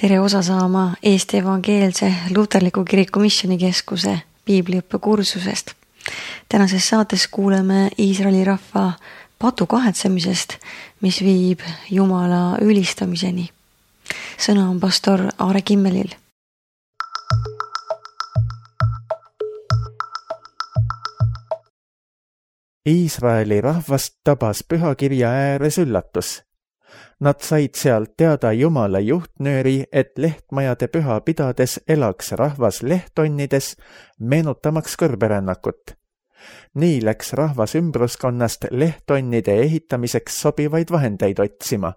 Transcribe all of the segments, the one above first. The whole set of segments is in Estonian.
Tere osa saama Eesti Evangeelse Luterliku Kiriku Missioonikeskuse piibliõppekursusest. Tänases saates kuuleme Iisraeli rahva patu kahetsemisest, mis viib Jumala ülistamiseni. Sõna on pastor Aare Kimmelil. Iisraeli rahvast tabas pühakirja ääres üllatus. Nad said sealt teada Jumala juhtnööri, et lehtmajade püha pidades elaks rahvas lehtonnides, meenutamaks kõrberännakut. Nii läks rahvas ümbruskonnast lehtonnide ehitamiseks sobivaid vahendeid otsima.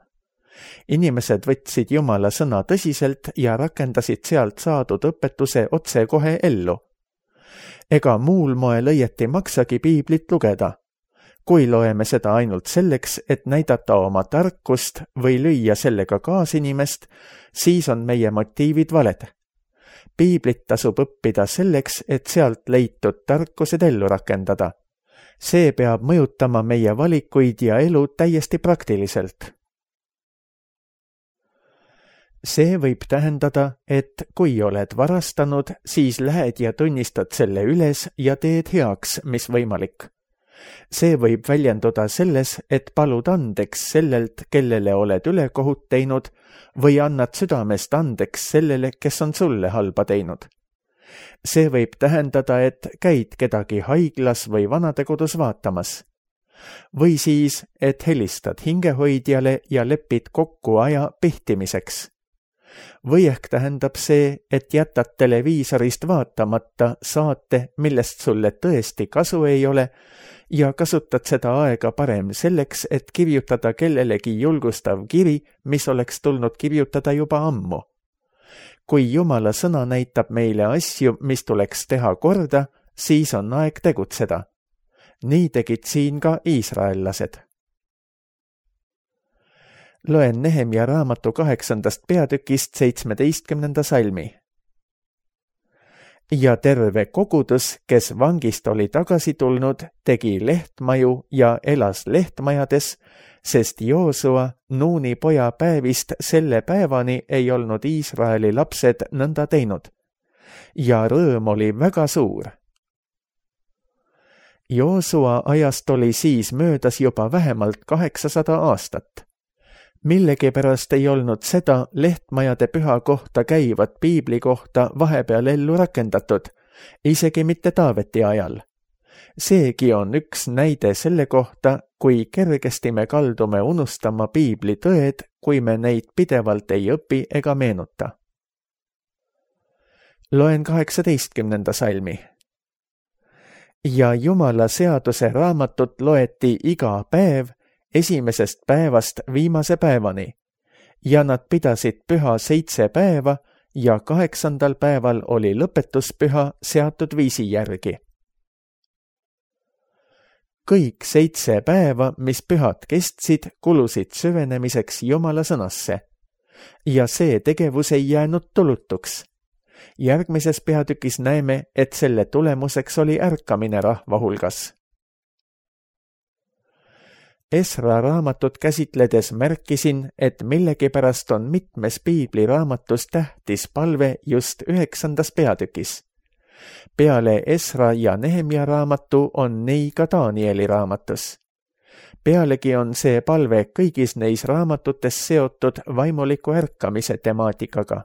Inimesed võtsid Jumala sõna tõsiselt ja rakendasid sealt saadud õpetuse otsekohe ellu. Ega muul moel õieti maksagi piiblit lugeda. Kui loeme seda ainult selleks, et näidata oma tarkust või lüüa sellega kaasinimest, siis on meie motiivid valed. Piiblit tasub õppida selleks, et sealt leitud tarkused ellu rakendada. See peab mõjutama meie valikuid ja elu täiesti praktiliselt. See võib tähendada, et kui oled varastanud, siis lähed ja tunnistad selle üles ja teed heaks, mis võimalik. See võib väljenduda selles, et palud andeks sellelt, kellele oled ülekohut teinud, või annad südamest andeks sellele, kes on sulle halba teinud. See võib tähendada, et käid kedagi haiglas või vanadekodus vaatamas. Või siis, et helistad hingehoidjale ja lepid kokku aja pihtimiseks. Või ehk tähendab see, et jätad televiisorist vaatamata saate, millest sulle tõesti kasu ei ole, ja kasutad seda aega parem selleks, et kirjutada kellelegi julgustav kiri, mis oleks tulnud kirjutada juba ammu. Kui Jumala sõna näitab meile asju, mis tuleks teha korda, siis on aeg tegutseda. Nii tegid siin ka iisraellased. Loen Nehemia raamatu 8. peatükist 17. salmi. Ja terve kogudus, kes vangist oli tagasi tulnud, tegi lehtmaju ja elas lehtmajades, sest Joosua, Nuuni poja päevist selle päevani ei olnud Iisraeli lapsed nõnda teinud. Ja rõõm oli väga suur. Joosua ajast oli siis möödas juba vähemalt 800 aastat. Millegipärast ei olnud seda lehtmajade püha kohta käivat piibli kohta vahepeal ellu rakendatud, isegi mitte Taaveti ajal. Seegi on üks näide selle kohta, kui kergesti me kaldume unustama piibli tõed, kui me neid pidevalt ei õpi ega meenuta. Loen 18. salmi. Ja Jumala seaduse raamatut loeti iga päev, esimesest päevast viimase päevani, ja nad pidasid püha 7 päeva ja 8. päeval oli lõpetuspüha seatud viisi järgi. Kõik 7 päeva, mis pühad kestsid, kulusid süvenemiseks Jumala sõnasse, ja see tegevus ei jäänud tulutuks. Järgmises peatükis näeme, et selle tulemuseks oli ärkamine rahva hulgas. Esra raamatut käsitledes märkisin, et millegipärast on mitmes piibliraamatus tähtis palve just 9. peatükis. Peale Esra ja Nehemia raamatu on nii ka Danieli raamatus. Pealegi on see palve kõigis neis raamatutes seotud vaimuliku ärkamise temaatikaga.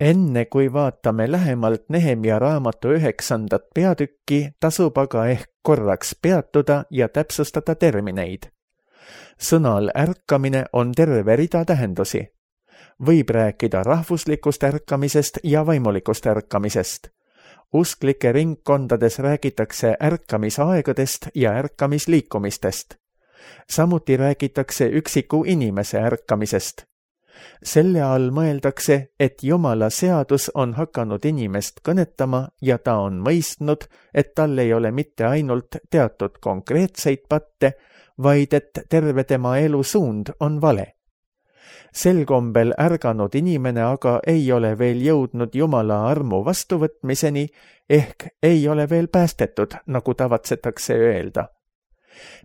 Enne kui vaatame lähemalt Nehemia raamatu 9. peatükki, tasub aga ehk korraks peatuda ja täpsustada termineid. Sõnal ärkamine on terve rida tähendusi. Võib rääkida rahvuslikust ärkamisest ja vaimulikust ärkamisest. Usklike ringkondades räägitakse ärkamisaegadest ja ärkamisliikumistest. Samuti räägitakse üksiku inimese ärkamisest. Selle all mõeldakse, et Jumala seadus on hakanud inimest kõnetama ja ta on mõistnud, et tal ei ole mitte ainult teatud konkreetseid patte, vaid et terve tema elu suund on vale. Sel kombel ärganud inimene aga ei ole veel jõudnud Jumala armu vastuvõtmiseni, ehk ei ole veel päästetud, nagu tavatsetakse öelda.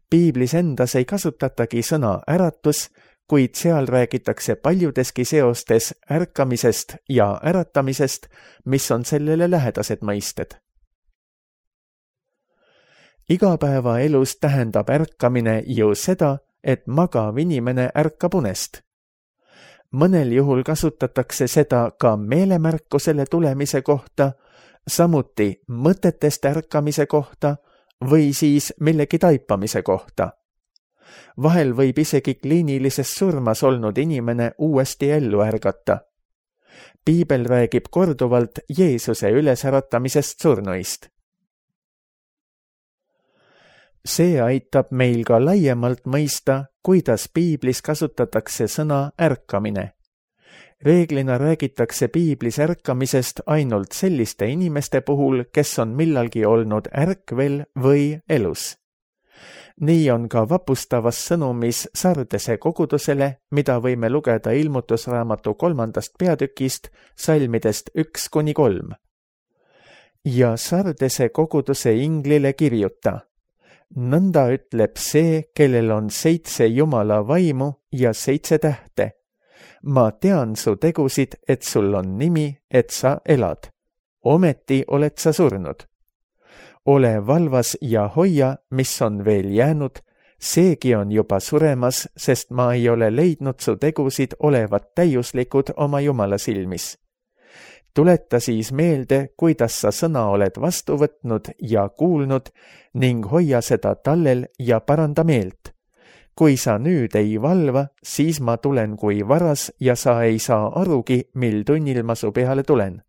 Piiblis endas ei kasutatagi sõna äratus, kuid seal räägitakse paljudeski seostes ärkamisest ja äratamisest, mis on sellele lähedased mõisted. Igapäevaelus tähendab ärkamine ju seda, et magav inimene ärkab unest. Mõnel juhul kasutatakse seda ka meelemärkusele tulemise kohta, samuti mõtetest ärkamise kohta või siis millegi taipamise kohta. Vahel võib isegi kliinilises surmas olnud inimene uuesti ellu ärgata. Piibel räägib korduvalt Jeesuse ülesäratamisest surnuist. See aitab meil ka laiemalt mõista, kuidas piiblis kasutatakse sõna ärkamine. Reeglina räägitakse piiblis ärkamisest ainult selliste inimeste puhul, kes on millalgi olnud ärkvel või elus. Nii on ka vapustavas sõnumis Sardese kogudusele, mida võime lugeda Ilmutusraamatu 3. peatükist, salmidest 1-3. Ja Sardese koguduse inglile kirjuta: nõnda ütleb see, kellel on 7 Jumala vaimu ja 7 tähte. Ma tean su tegusid, et sul on nimi, et sa elad. Ometi oled sa surnud. Ole valvas ja hoia, mis on veel jäänud, seegi on juba suremas, sest ma ei ole leidnud su tegusid olevat täiuslikud oma Jumala silmis. Tuleta siis meelde, kuidas sa sõna oled vastu võtnud ja kuulnud ning hoia seda tallel ja paranda meelt. Kui sa nüüd ei valva, siis ma tulen kui varas ja sa ei saa arugi, mil tunnil ma su peale tulen.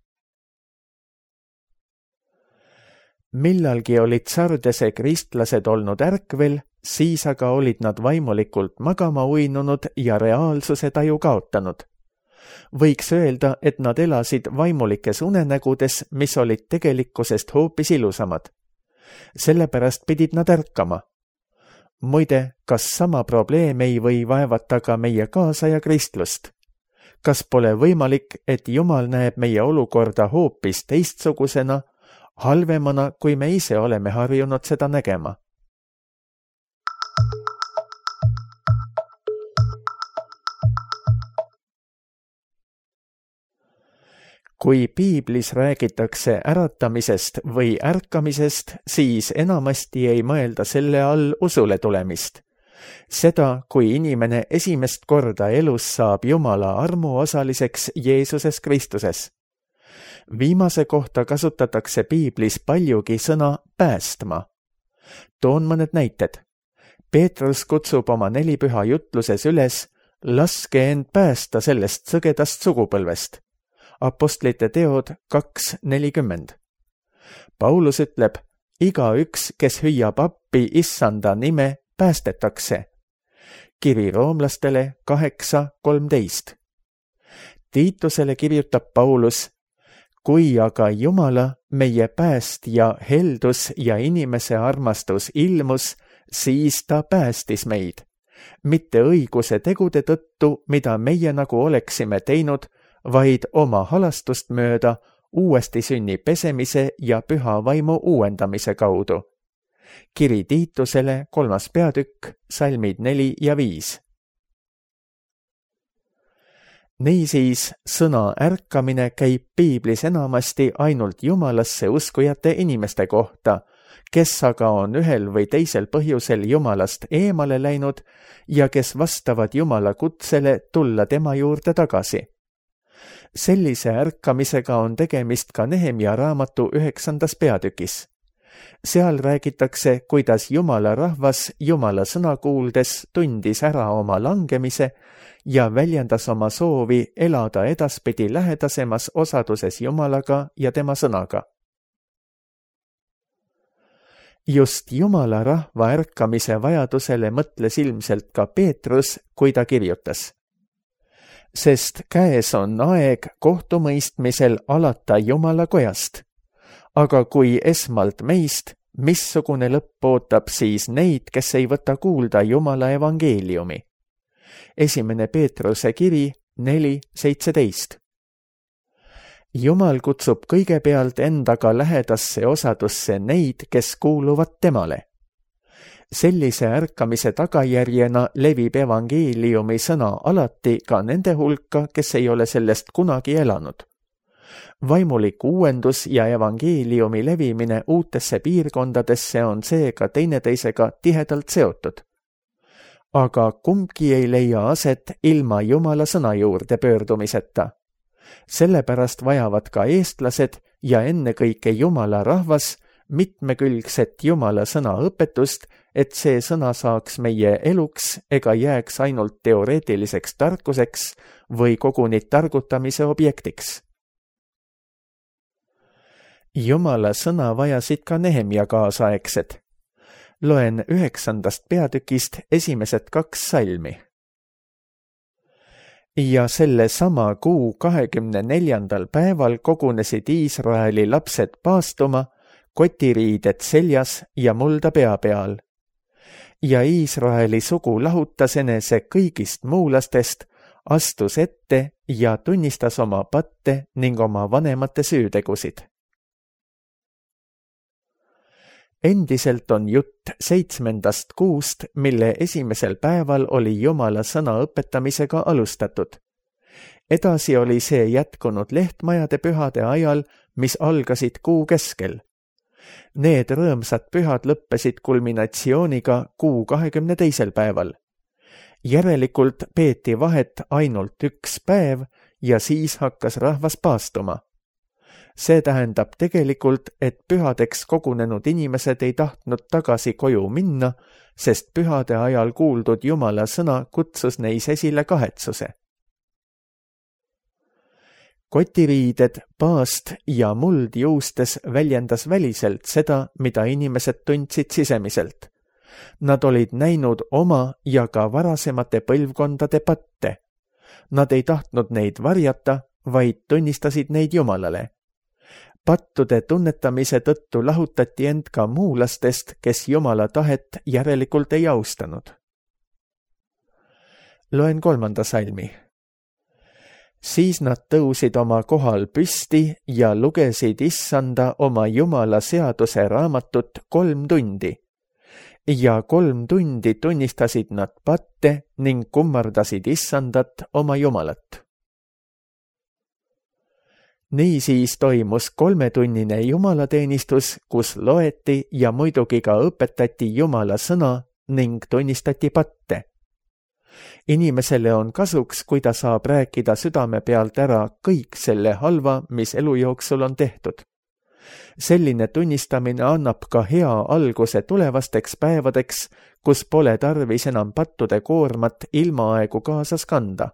Millalgi olid Sardese kristlased olnud ärkvel, siis aga olid nad vaimulikult magama uinunud ja reaalsuse taju kaotanud. Võiks öelda, et nad elasid vaimulikes unenägudes, mis olid tegelikkusest hoopis ilusamad. Sellepärast pidid nad ärkama. Muide, kas sama probleem ei või vaevata ka meie kaasaja kristlust? Kas pole võimalik, et Jumal näeb meie olukorda hoopis teistsugusena, halvemana, kui me ise oleme harjunud seda nägema? Kui piiblis räägitakse äratamisest või ärkamisest, siis enamasti ei mõelda selle all usule tulemist. Seda, kui inimene esimest korda elus saab Jumala armuosaliseks Jeesuses Kristuses. Viimase kohta kasutatakse piiblis paljugi sõna päästma. Toon mõned näited. Peetrus kutsub oma 4 püha jutluses üles: laske end päästa sellest sõgedast sugupõlvest. Apostlite teod 2:40. Paulus ütleb: igaüks, kes hüüab appi issanda nime, päästetakse. Kiri roomlastele 8:13. Tiitusele kirjutab Paulus: kui aga Jumala, meie päästja heldus ja inimese armastus ilmus, siis ta päästis meid. Mitte õiguse tegude tõttu, mida meie nagu oleksime teinud, vaid oma halastust mööda uuesti sünni pesemise ja püha vaimu uuendamise kaudu. Kiri Tiitusele 3. peatükk, salmid 4 ja 5. Niisiis, sõna ärkamine käib piiblis enamasti ainult Jumalasse uskujate inimeste kohta, kes aga on ühel või teisel põhjusel Jumalast eemale läinud ja kes vastavad Jumala kutsele tulla tema juurde tagasi. Sellise ärkamisega on tegemist ka Nehemia raamatu 9. peatükis. Seal räägitakse, kuidas Jumala rahvas Jumala sõna kuuldes tundis ära oma langemise ja väljendas oma soovi elada edaspidi lähedasemas osaduses Jumalaga ja tema sõnaga. Just Jumala rahva ärkamise vajadusele mõtles ilmselt ka Peetrus, kui ta kirjutas: sest käes on aeg kohtumõistmisel alata Jumala kojast. Aga kui esmalt meist, missugune lõpp ootab siis neid, kes ei võta kuulda Jumala evangeeliumi? 1. Peetruse kiri 4:17. Jumal kutsub kõigepealt endaga lähedasse osadusse neid, kes kuuluvad temale. Sellise ärkamise tagajärjena levib evangeeliumi sõna alati ka nende hulka, kes ei ole sellest kunagi elanud. Vaimulik uuendus ja evangeeliumi levimine uutesse piirkondadesse on seega teineteisega tihedalt seotud. Aga kumbki ei leia aset ilma Jumala sõna juurde pöördumiseta. Sellepärast vajavad ka eestlased ja ennekõike Jumala rahvas mitmekülgset Jumala sõna õpetust, et see sõna saaks meie eluks ega jääks ainult teoreetiliseks tarkuseks või koguni targutamise objektiks. Jumala sõna vajasid ka Nehemia kaasaegsed. Loen 9. peatükist esimesed 2 salmi. Ja selle sama kuu 24. päeval kogunesid Iisraeli lapsed paastuma, kotiriided seljas ja mulda pea peal. Ja Iisraeli sugu lahutas enese kõigist muulastest, astus ette ja tunnistas oma patte ning oma vanemate süütegusid. Endiselt on jutt 7. kuust, mille esimesel päeval oli Jumala sõna õpetamisega alustatud. Edasi oli see jätkunud lehtmajade pühade ajal, mis algasid kuu keskel. Need rõõmsad pühad lõppesid kulminatsiooniga kuu 22. päeval. Järelikult peeti vahet ainult 1 päev ja siis hakkas rahvas paastuma. See tähendab tegelikult, et pühadeks kogunenud inimesed ei tahtnud tagasi koju minna, sest pühade ajal kuuldud Jumala sõna kutsus neis esile kahetsuse. Kotiriided, paast ja muld juustes väljendas väliselt seda, mida inimesed tundsid sisemiselt. Nad olid näinud oma ja ka varasemate põlvkondade patte. Nad ei tahtnud neid varjata, vaid tunnistasid neid Jumalale. Pattude tunnetamise tõttu lahutati end ka muulastest, kes Jumala tahet järelikult ei austanud. Loen 3. salmi. Siis nad tõusid oma kohal püsti ja lugesid Issanda oma Jumala seaduse raamatut 3 tundi. Ja 3 tundi tunnistasid nad patte ning kummardasid Issandat oma Jumalat. Niisiis toimus 3-tunnine jumalateenistus, kus loeti ja muidugi ka õpetati Jumala sõna ning tunnistati patte. Inimesele on kasuks, kui ta saab rääkida südame pealt ära kõik selle halva, mis elu jooksul on tehtud. Selline tunnistamine annab ka hea alguse tulevasteks päevadeks, kus pole tarvis enam pattude koormat ilmaaegu kaasas kanda.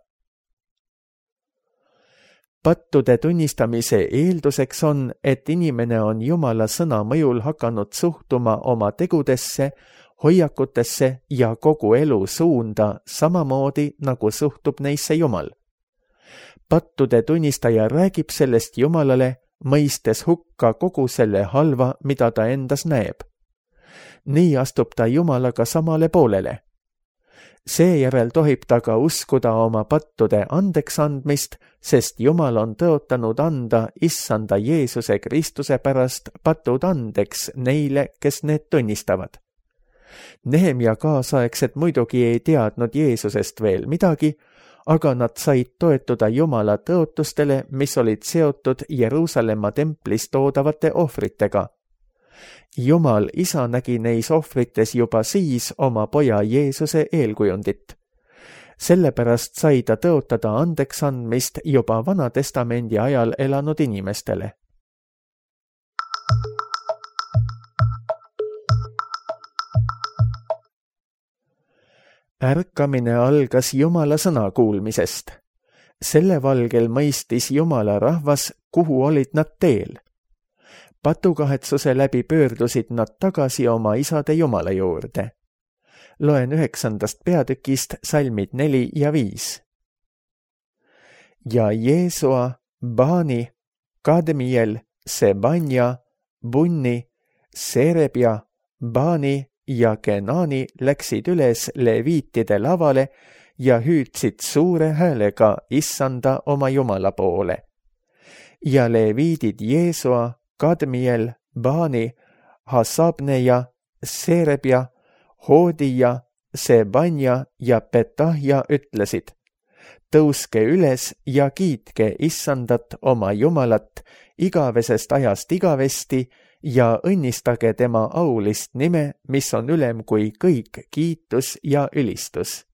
Pattude tunnistamise eelduseks on, et inimene on Jumala sõna mõjul hakanud suhtuma oma tegudesse, hoiakutesse ja kogu elu suunda samamoodi, nagu suhtub neisse Jumal. Pattude tunnistaja räägib sellest Jumalale, mõistes hukka kogu selle halva, mida ta endas näeb. Nii astub ta Jumalaga samale poolele. Seejärel tohib ta ka uskuda oma pattude andeks andmist, sest Jumal on tõotanud anda Issanda Jeesuse Kristuse pärast patud andeks neile, kes need tunnistavad. Nehemia kaasaegsed muidugi ei teadnud Jeesusest veel midagi, aga nad said toetuda Jumala tõotustele, mis olid seotud Jeruusalemma templis toodavate ohvritega. Jumal isa nägi neis ohvrites juba siis oma poja Jeesuse eelkujundit. Sellepärast sai ta tõotada andeks andmist juba Vana Testamendi ajal elanud inimestele. Ärkamine algas Jumala sõna kuulmisest. Selle valgel mõistis Jumala rahvas, kuhu olid nad teel. Patukahetsuse läbi pöördusid nad tagasi oma isade Jumala juurde. Loen 9. peatükist salmid 4 ja 5. Ja Jeesua, Bani, Kadmiel, Sebanja, Bunni, Serebja, Bani ja Kenani läksid üles leviitide lavale ja hüüdsid suure häälega Issanda oma Jumala poole. Ja leviidid Jeesua, Kadmiel, Bani, Hasabneja, Serebja Hoodija, Sebanja ja Petahja ütlesid: tõuske üles ja kiitke Issandat oma Jumalat igavesest ajast igavesti ja õnnistage tema aulist nime, mis on ülem kui kõik kiitus ja ülistus.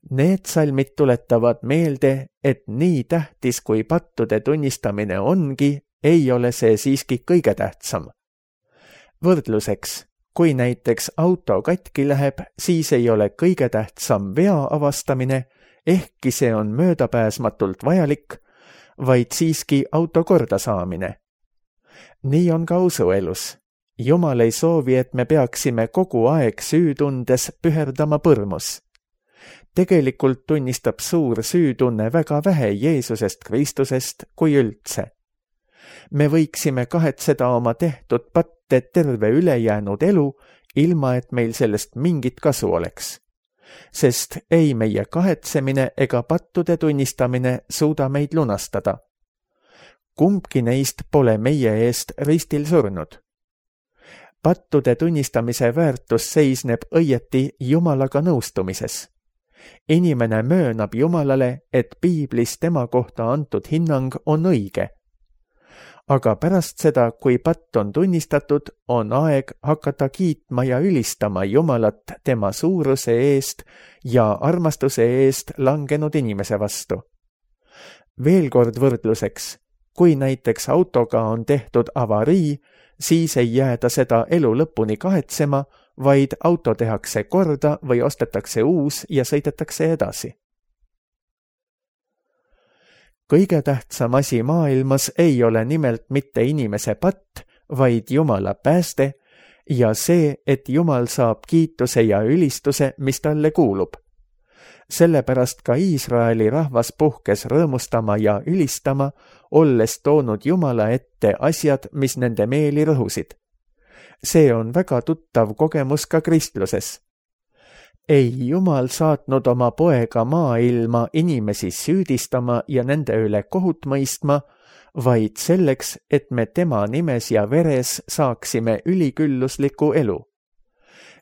Need salmid tuletavad meelde, et nii tähtis kui pattude tunnistamine ongi, ei ole see siiski kõige tähtsam. Võrdluseks, kui näiteks auto katki läheb, siis ei ole kõige tähtsam vea avastamine, ehkki see on möödapääsmatult vajalik, vaid siiski auto korda saamine. Nii on ka usuelus. Jumal ei soovi, et me peaksime kogu aeg süütundes püherdama põrmus. Tegelikult tunnistab suur süütunne väga vähe Jeesusest Kristusest kui üldse. Me võiksime kahetseda oma tehtud patte terve ülejäänud elu, ilma et meil sellest mingit kasu oleks. Sest ei meie kahetsemine ega pattude tunnistamine suuda meid lunastada. Kumbki neist pole meie eest ristil surnud. Pattude tunnistamise väärtus seisneb õieti Jumalaga nõustumises. Inimene möönab Jumalale, et piiblis tema kohta antud hinnang on õige. Aga pärast seda, kui patt on tunnistatud, on aeg hakata kiitma ja ülistama Jumalat tema suuruse eest ja armastuse eest langenud inimese vastu. Veel kord võrdluseks, kui näiteks autoga on tehtud avarii, siis ei jääda seda elu lõpuni kahetsema, vaid auto tehakse korda või ostetakse uus ja sõidetakse edasi. Kõige tähtsam asi maailmas ei ole nimelt mitte inimese patt, vaid Jumala pääste ja see, et Jumal saab kiituse ja ülistuse, mis talle kuulub. Sellepärast ka Iisraeli rahvas puhkes rõõmustama ja ülistama, olles toonud Jumala ette asjad, mis nende meeli rõhusid. See on väga tuttav kogemus ka kristluses. Ei Jumal saatnud oma poega maailma inimesi süüdistama ja nende üle kohut mõistma, vaid selleks, et me tema nimes ja veres saaksime üliküllusliku elu.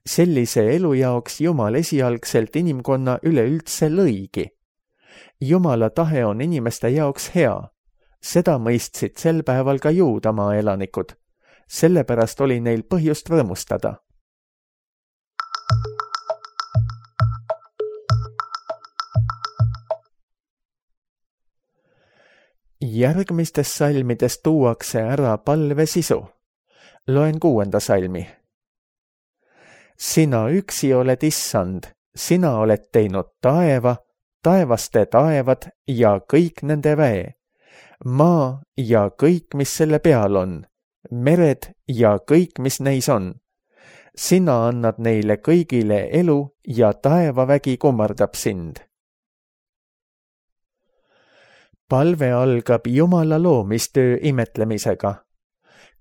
Sellise elu jaoks Jumal esialgselt inimkonna üleüldse lõigi. Jumala tahe on inimeste jaoks hea. Seda mõistsid sel päeval ka Juudamaa elanikud. Sellepärast oli neil põhjust rõõmustada. Järgmistes salmides tuuakse ära palve sisu. Loen 6. salmi. Sina üksi oled Issand, sina oled teinud taeva, taevaste taevad ja kõik nende väe, maa ja kõik, mis selle peal on, mered ja kõik, mis neis on. Sina annad neile kõigile elu ja taevavägi kummardab sind. Palve algab Jumala loomistöö imetlemisega.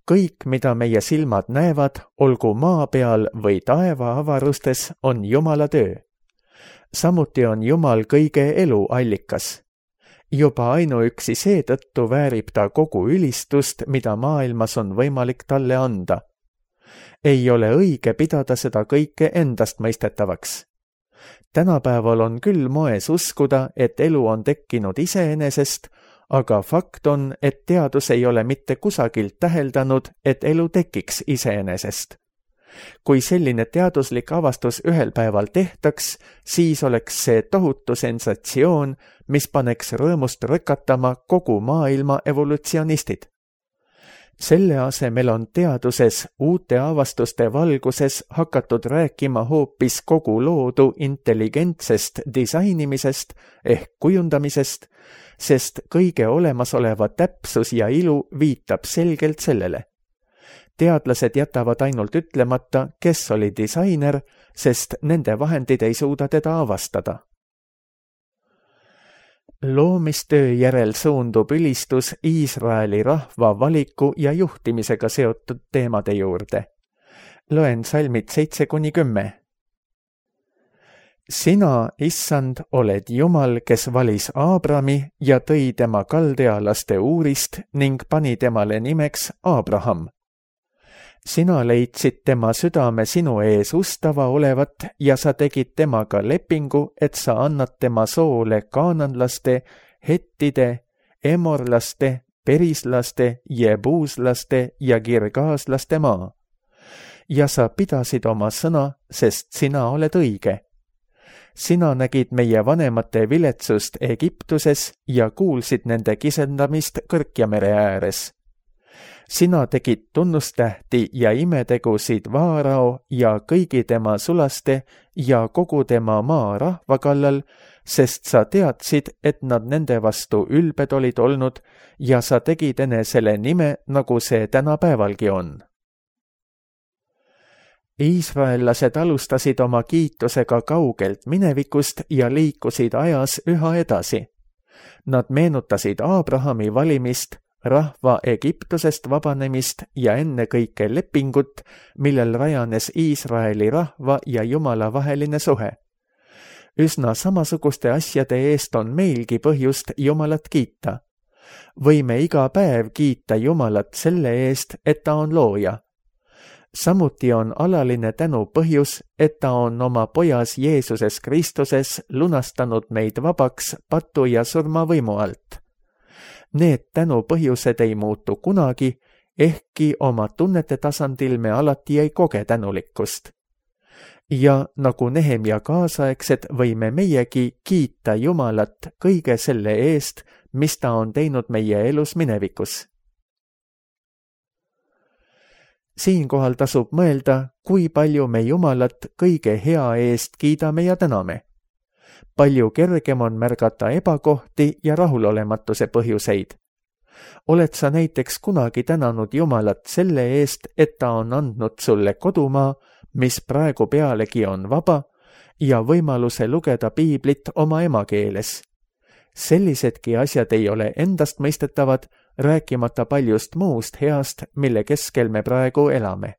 Kõik, mida meie silmad näevad, olgu maa peal või taeva avarustes, on Jumala töö. Samuti on Jumal kõige elu allikas. Juba ainuüksi seetõttu väärib ta kogu ülistust, mida maailmas on võimalik talle anda. Ei ole õige pidada seda kõike endast mõistetavaks. Tänapäeval on küll moes uskuda, et elu on tekkinud iseenesest, aga fakt on, et teadus ei ole mitte kusagilt täheldanud, et elu tekiks iseenesest. Kui selline teaduslik avastus ühel päeval tehtaks, siis oleks see tohutu sensatsioon, mis paneks rõõmust rõkatama kogu maailma evolutsionistid. Selle asemel on teaduses uute avastuste valguses hakatud rääkima hoopis kogu loodu intelligentsest disainimisest ehk kujundamisest, sest kõige olemasoleva täpsus ja ilu viitab selgelt sellele. Teadlased jätavad ainult ütlemata, kes oli disainer, sest nende vahendid ei suuda teda avastada. Loomistöö järel suundub ülistus Iisraeli rahva valiku ja juhtimisega seotud teemade juurde. Loen salmid 7-10. Sina, Issand, oled Jumal, kes valis Aabrami ja tõi tema kaldealaste Uurist ning pani temale nimeks Aabraham. sina leidsid tema südame sinu ees ustava olevat ja sa tegid temaga lepingu, et sa annad tema soole kaananlaste, hettide, emorlaste, perislaste, jebuuslaste ja kirgaaslaste maa. Ja sa pidasid oma sõna, sest sina oled õige. Sina nägid meie vanemate viletsust Egiptuses ja kuulsid nende kisendamist Kõrkjamere ääres. Sina tegid tunnustähti ja imetegusid Vaarao ja kõigi tema sulaste ja kogu tema maa rahva kallal, sest sa teadsid, et nad nende vastu ülbed olid olnud ja sa tegid enesele nime, nagu see tänapäevalgi on. Iisraellased alustasid oma kiitusega kaugelt minevikust ja liikusid ajas üha edasi. Nad meenutasid Abrahami valimist, rahva Egiptusest vabanemist ja ennekõike lepingut, millel rajanes Iisraeli rahva ja Jumala vaheline suhe. Üsna samasuguste asjade eest on meilgi põhjust Jumalat kiita. Võime iga päev kiita Jumalat selle eest, et ta on looja. Samuti on alaline tänu põhjus, et ta on oma pojas Jeesuses Kristuses lunastanud meid vabaks patu ja surma võimu alt. Need tänu põhjused ei muutu kunagi, ehkki oma tunnete tasandil me alati ei koge tänulikkust. Ja nagu Nehemia kaasaegsed võime meiegi kiita Jumalat kõige selle eest, mis ta on teinud meie elus minevikus. Siinkohal tasub mõelda, kui palju me Jumalat kõige hea eest kiidame ja täname. Palju kergem on märgata ebakohti ja rahulolematuse põhjuseid. Oled sa näiteks kunagi tänanud Jumalat selle eest, et ta on andnud sulle kodumaa, mis praegu pealegi on vaba, ja võimaluse lugeda piiblit oma emakeeles? Sellisedki asjad ei ole endastmõistetavad, rääkimata paljust muust heast, mille keskel me praegu elame.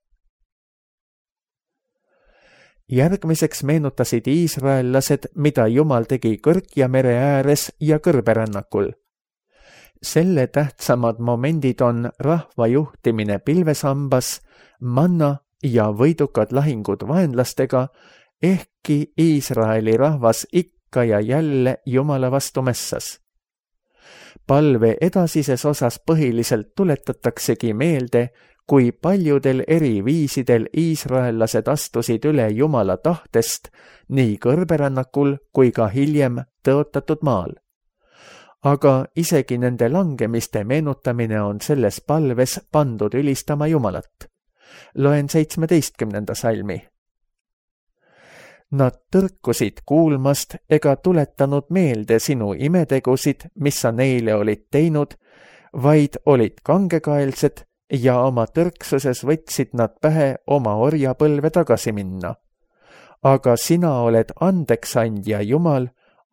Järgmiseks meenutasid iisraellased, mida Jumal tegi Kõrkjamere ääres ja kõrberännakul. Selle tähtsamad momendid on rahva juhtimine pilvesambas, manna ja võidukad lahingud vaenlastega, ehkki Iisraeli rahvas ikka ja jälle Jumala vastu mässas. Palve edasises osas põhiliselt tuletataksegi meelde, kui paljudel eri viisidel iisraellased astusid üle Jumala tahtest nii kõrberännakul kui ka hiljem tõotatud maal. Aga isegi nende langemiste meenutamine on selles palves pandud ülistama Jumalat. Loen 17. salmi. Nad tõrkusid kuulmast ega tuletanud meelde sinu imetegusid, mis sa neile olid teinud, vaid olid kangekaelsed ja oma tõrksuses võtsid nad pähe oma orjapõlve tagasi minna. Aga sina oled andeksandja Jumal,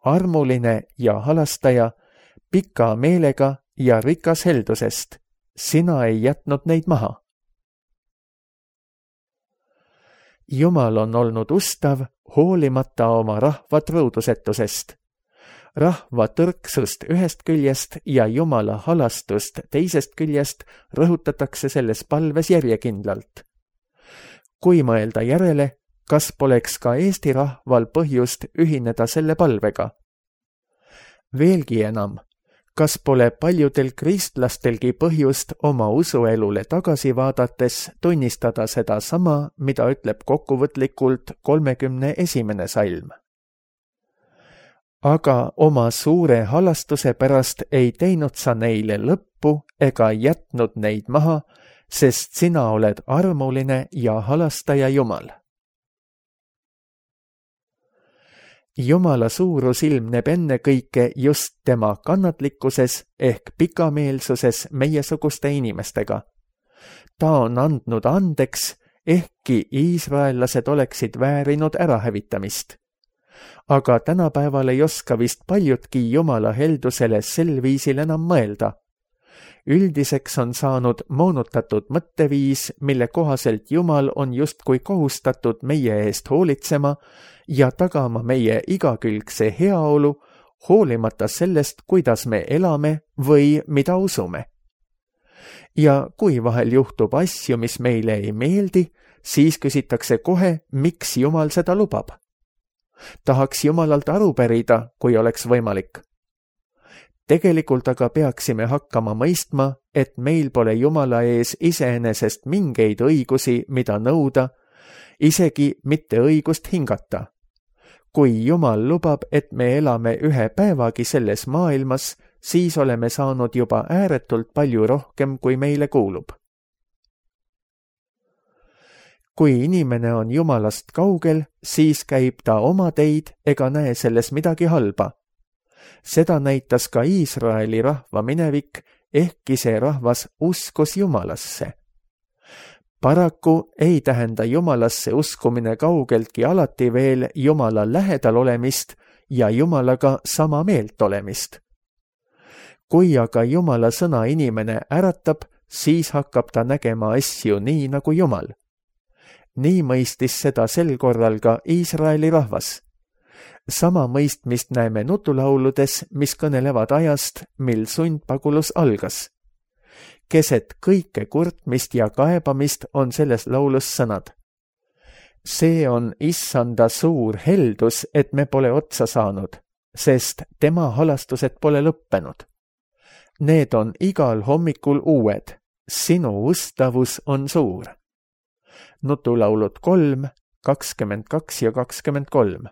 armuline ja halastaja, pika meelega ja rikas heldusest. Sina ei jätnud neid maha. Jumal on olnud ustav, hoolimata oma rahva truudusetusest. Rahva tõrksust ühest küljest ja Jumala halastust teisest küljest rõhutatakse selles palves järjekindlalt. Kui mõelda järele, kas poleks ka Eesti rahval põhjust ühineda selle palvega? Veelgi enam, kas pole paljudel kristlastelgi põhjust oma usuelule tagasi vaadates tunnistada seda sama, mida ütleb kokkuvõtlikult 31. salm? Aga oma suure halastuse pärast ei teinud sa neile lõppu ega jätnud neid maha, sest sina oled armuline ja halastaja Jumal. Jumala suurus ilmneb ennekõike just tema kannatlikkuses ehk pikameelsuses meiesuguste inimestega. Ta on andnud andeks, ehkki iisraellased oleksid väärinud ärahävitamist. Aga tänapäeval ei oska vist paljudki Jumala heldusele sel viisil enam mõelda. Üldiseks on saanud moonutatud mõtteviis, mille kohaselt Jumal on justkui kohustatud meie eest hoolitsema ja tagama meie igakülgse heaolu, hoolimata sellest, kuidas me elame või mida usume. Ja kui vahel juhtub asju, mis meile ei meeldi, siis küsitakse kohe, miks Jumal seda lubab. Tahaks Jumalalt aru pärida, kui oleks võimalik. Tegelikult aga peaksime hakkama mõistma, et meil pole Jumala ees iseenesest mingeid õigusi, mida nõuda, isegi mitte õigust hingata. Kui Jumal lubab, et me elame ühe päevagi selles maailmas, siis oleme saanud juba ääretult palju rohkem, kui meile kuulub. Kui inimene on Jumalast kaugel, siis käib ta oma teid ega näe selles midagi halba. Seda näitas ka Iisraeli rahva minevik, ehkki see rahvas uskus Jumalasse. Paraku ei tähenda Jumalasse uskumine kaugeltki alati veel Jumala lähedal olemist ja Jumalaga sama meelt olemist. Kui aga Jumala sõna inimene äratab, siis hakkab ta nägema asju nii nagu Jumal. Nii mõistis seda sel korral ka Iisraeli rahvas. Sama mõistmist näeme nutulauludes, mis kõnelevad ajast, mil sundpagulus algas. Keset kõike kurtmist ja kaebamist on selles laulus sõnad. See on Issanda suur heldus, et me pole otsa saanud, sest tema halastused pole lõppenud. Need on igal hommikul uued, sinu ustavus on suur. Nutulaulud 3, 22 ja 23.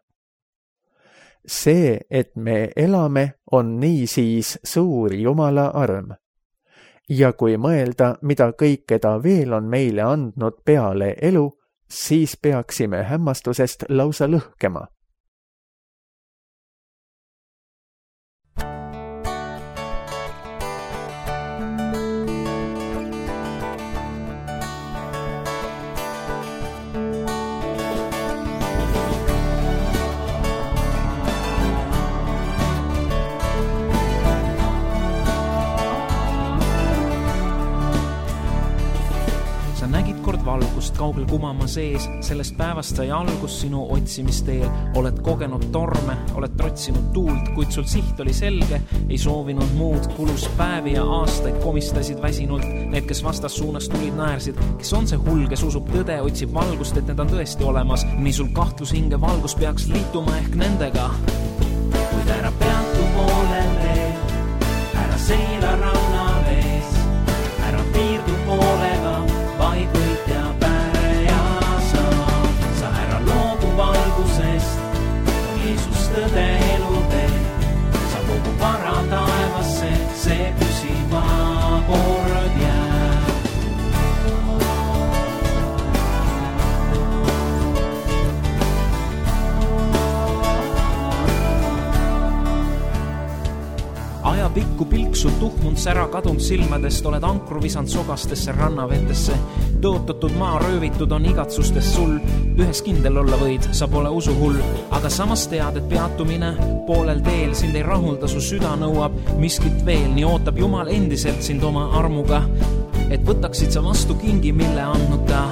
See, et me elame, on niisiis suur Jumala arm. Ja kui mõelda, mida kõike ta veel on meile andnud peale elu, siis peaksime hämmastusest lausa lõhkema. Valgust kaugel kumama sees, sellest päevast sai algus sinu otsimisteel. Oled kogenud torme, oled trotsinud tuult, kuid sul siht oli selge, ei soovinud muud. Kulus päevi ja aastaid komistasid väsinult. Need, kes vastas suunas tulid, naersid. Kes on see hull, kes usub tõde, otsib valgust, et need on tõesti olemas. Nii sul kahtlus hinge valgus peaks liituma ehk nendega. Kuid ära peatu poolel veel, ära seila ranna vees, ära piirdu poolega, vaid võit ja päre ja sa ära loobu valgusest, on Jeesus tõde elutee, sa kogu vara taevasse, see püsiva kord jääb. Ajapikku pilksud tuhmund sära kadunud silmadest, oled ankru visand sogastesse rannavetesse. Tõotatud maa röövitud on igatsustest sul, ühes kindel olla võid, sa pole usuhull. Aga samas tead, et peatumine poolel teel sind ei rahulda, su süda nõuab miskit veel. Nii ootab Jumal endiselt sind oma armuga, et võtaksid sa vastu kingi, mille andnud ta.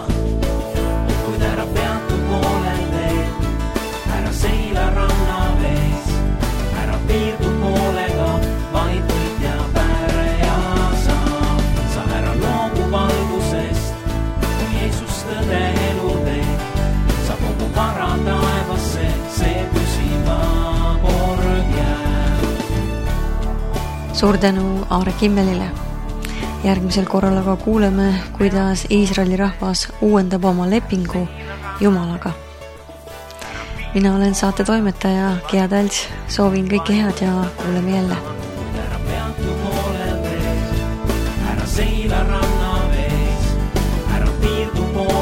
Kuid ära peatu poolel teel, ära seila ranna vees, ära piirdu poolega, vaid võit ja päre ja sa ära loobu valgusest, on Jeesus tõde elutee, sa kogu vara taevasse, see püsiva kord jääb. Suur tänu Aare Kimmelile. Järgmisel korral aga kuuleme, kuidas Iisraeli rahvas uuendab oma lepingu Jumalaga. Mina olen saate toimetaja Gea Tälts, soovin kõike head ja kuuleme jälle. Ära seila ranna vees, ära piirdu poole.